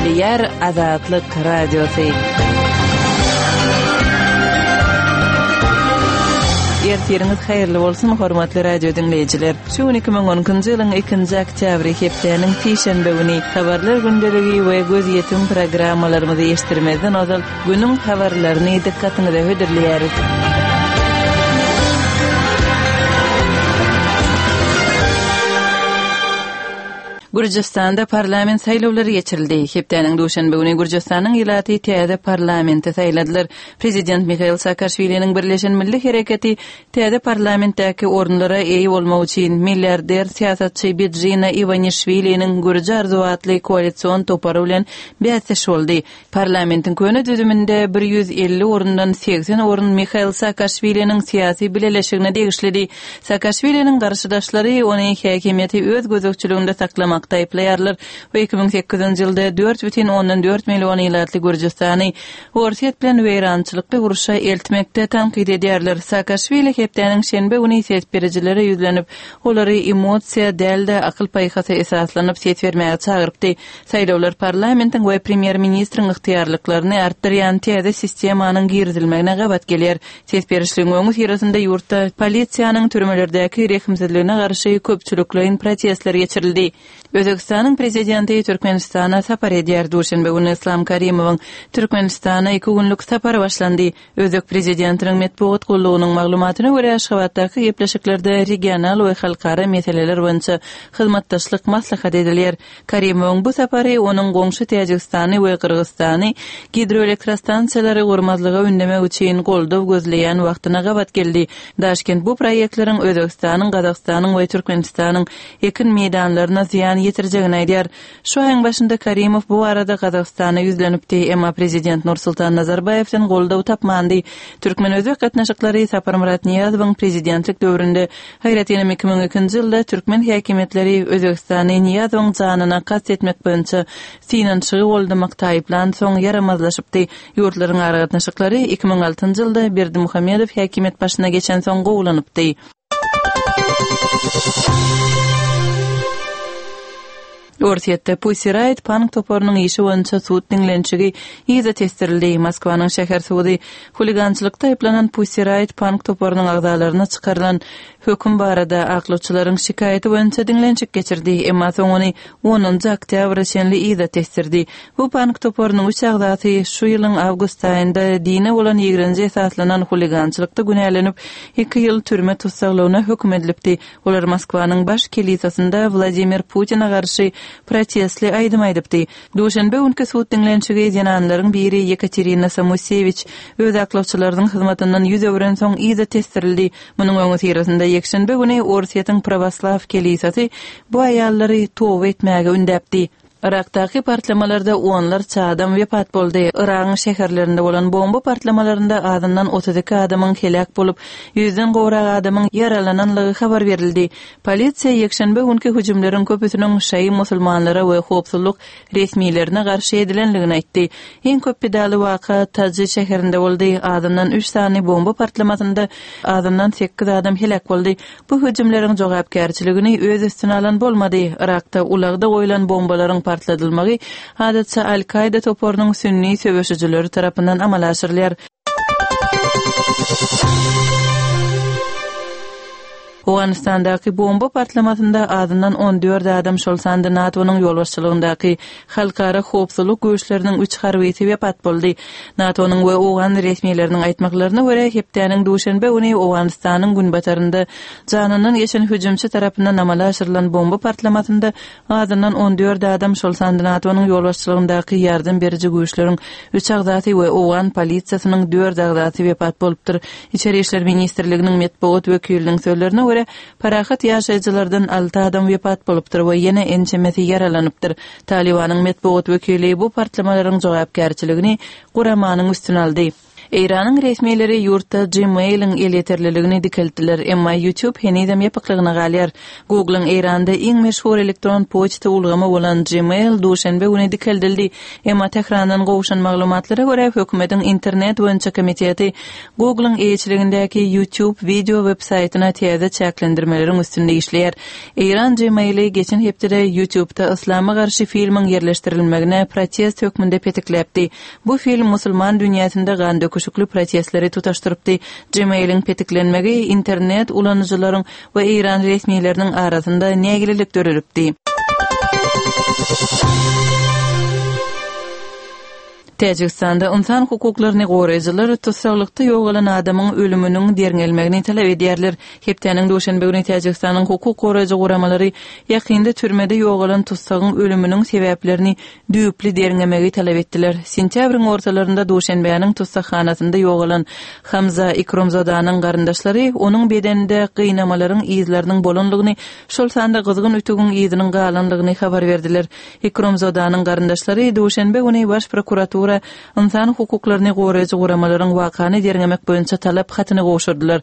Gürleýär Azatlyk Radiosy. Ertiriňiz haýyrly bolsun, hormatly radio diňleýjiler. Şu gün 2012-nji ýylyň 2-nji oktýabry, hepdäniň sişenbe güni. Habarlar gündeligi we gözýetim programmalarymyzy eşitdirmezden ozal, günüň habarlaryny dykgatyňyza hödürleýäris. Gürjüstanda parlament saýlawlary geçirildi. Hepdäniň duşenbe güni Gürjüstanyň ilaty täze parlamenti saýladylar. Prezident Mihail Saakaşwiliniň Birleşen Milli Hereketi täze parlamentdäki orunlara eýe bolmak üçin milliarder syýasatçy Bidzina Iwanişwiliniň Gürji arzuwy atly koalision topary bilen bäsdeş boldy. Parlamentiň köne düzüminde 150 orundan 80 orun Mihail Saakaşwiliniň syýasy bileleşigine degişlidi. Saakaşwiliniň garşydaşlary ony häkimiýeti öz gözegçiliginde saklamakda aýyplaýarlar we 2008-nji ýylda 4,4 million ilatly Gürjüstany Orsýet bilen weýrançylykly urşa eltmekde tankyt edýärler. Saakaşwili hepdäniň şenbe güni ses berijilere ýüzlenip, olary emosiýa däl-de, akyl-paýhasa esaslanyp ses bermäge çagyrypdy. Saýlawlar parlamentiň we premýer-ministriň ygtyýarlyklaryny artdyrýan täze sistemanyň girizilmegine gabat gelýär. Ses berişligiň öňüsyrasynda ýurtda polisiýanyň türmelerdäki rehimsizligine garşy köpçülikleýin protestler geçirildi. Özbegistanyň Prezidenti Türkmenistana sapar edýär Duşenbe güni Yslam Karimowyň Türkmenistana iki günlük sapary başlandy. Özbek prezidentiniň metbugat gullugynyň maglumatyna görä, Aşgabatdaky gepleşiklerde regional we halkara meseleler boýunça hyzmatdaşlyk maslahat edilýär. Karimowyň bu sapary onuň goňşy Täjigistany we Gyrgyzystany gidroelektrostansiýalary gurmazlyga ündemek üçin goldaw gözleýän wagtyna gabat geldi. Daşkent bu proýektleriň Özbegistanyň, Gazagystanyň we Türkmenistanyň ekin meýdanlaryna zyýan ýetirjegini aýdýar. Şu aýyň başynda Karimow bu barada Gazagystana ýüzlenipdi, emma prezident Nursultan Nazarbaýewden goldaw tapmandy. Türkmen-özbek gatnaşyklary Saparmyrat Nyýazowyň prezidentlik döwründe, aýratynam 2002-nji ýylda türkmen häkimiýetleri Özbegistany Nyýazowyň janyna kast etmek boýunça synanyşygy goldamakda aýyplansoň ýaramazlaşypdy. Ýurtlaryň aragatnaşyklary 2006-njy ýylda Berdimuhamedow häkimiýet başyna geçensoň gowulanypdy. Orsýetde Pussy Riot punk toparynyň işi boýunça sud diňlenişigi yza tesdirildi. Moskwanyň şäher sudy huligançylykda aýyplanan Pussy Riot punk toparynyň agzalaryna çykarylan höküm barada aklawçylaryň şikaýaty boýunça diňlenişik geçirdi, emma soň ony onunjy oktýabra çenli yza tesdirdi. Bu punk toparynyň üç agzasy şu ýylyň awgust aýynda dine bolan ýigrenje esaslanan huligançylykda günälenip, iki ýyl türme tussaglygyna höküm edilipdi. Olar Moskwanyň baş kelisasynda Wladimir Putine garşy protestli aýdym aýdypdy. Duşenbe günki sud diňlenişigi zenanlaryň biri Ýekaterina Samusewiç öz aklawçylarynyň hyzmatyndan ýüz öwrensoň yza tesdirildi. Munuň öňüsyrasynda ýekşenbe güni Orsýetiň prawoslaw kelisasy bu aýallary toba etmäge ündäpdi. Yrakdaky partlamalarda onlarça adam wepat boldy. Yragyň şäherlerinde bolan bomba partlamalarynda azyndan 32 adamyň heläk bolup, ýüzden gowrak adamyň ýaralananlygy habar berildi. Polisiýa ýekşenbe günki hüjümleriň köpüsiniň şaýy musulmanlara we howpsuzlyk resmilerine garşy edilenligini aýtdy. Iň köp pidaly waka Taji şäherinde boldy, azyndan üç sany bomba partlamasynda azyndan sekiz adam heläk boldy. Bu hüjümleriň jogapkärçiligini öz üstüne alan bolmady. Yrakda ulagda goýlan bombalaryň partladylmagy adatça Al-Kaýda toparynyň sünni söweşijileri tarapyndan amala aşyrylýar. Owganystandaky bomba partlamasynda azyndan 14 adam, şol sanda NATO-nyň ýolbaşçylygyndaky Halkara howpsuzlyk güýçleriniň üç harbysy wepat boldy. NATO-nyň we owgan resmileriniň aýtmaklaryna görä, hepdäniň duşenbe güni Owganystanyň günbatarynda janyndan geçen hüjümçi tarapyndan amala aşyrylan bomba partlamasynda azyndan 14 adam, şol sanda NATO-nyň ýolbaşçylygyndaky ýardam beriji güýçleriň üç agzasy we owgan polisiýasynyň dört agzasy wepat bolupdyr. Içeri işler ministrliginiň metbugat wekiliniň sözlerine görä, Parahat ýaşaýjylardan alty adam wepat bolupdyr we ýene ençemesi ýaralanypdyr. Talybanyň metbugat wekili bu partlamalaryň jogapkärçiligini guramanyň üstüne aldy. Eýranyň resmileri ýurtda Gmail-iň elýeterliligini dikeltdiler, emma YouTube henizem ýapyklygyna galýar. Google-yň Eýranda iň meşhur elektron poçta ulgamy bolan Gmail duşenbe güni dikeldildi. Emma Tährandan gowşan maglumatlara görä, hökümetiň internet boýunça komiteti Google-yň eýeçiligindäki YouTube wideo web-saýtyna täze çäklendirmeleriň üstünde işleýär. Eýran Gmail-i geçen hepdede YouTube-da yslama garşy filmiň ýerleşdirilmegine protest hökmünde petikläpdi. Bu film musulman dünýäsinde gandöküşikli protestleri tutaşdyrypdy. Gmail-iň petiklenmegi internet ulanyjylaryň we eýran resmileriniň arasynda nägilelik döredipdi. Täjigistanda ynsan hukuklaryny goraýjylar tussaglykda ýogalan adamyň ölüminiň derňelmegini talap edýärler. Hepdäniň duşenbe güni Täjigistanyň hukuk goraýjy guramalary ýakynda türmede ýogalan tussagyň ölüminiň sebäplerini düýpli derňemegi talap etdiler. Sentýabryň ortalarynda Duşenbäniň tussaghanasynda ýogalan Hamza Ikromzodanyň garyndaşlary onuň bedeninde gynamalaryň yzlarynyň bolanlygyny, şol sanda gyzgyn ütügiň yzynyň galanlygyny habar berdiler. Ikromzodanyň garyndaşlary duşenbe güni Baş prokuratura, ynsan hukuklaryny goraýjy guramalaryň wakany derňemek boýunça talap hatyny gowşurdylar.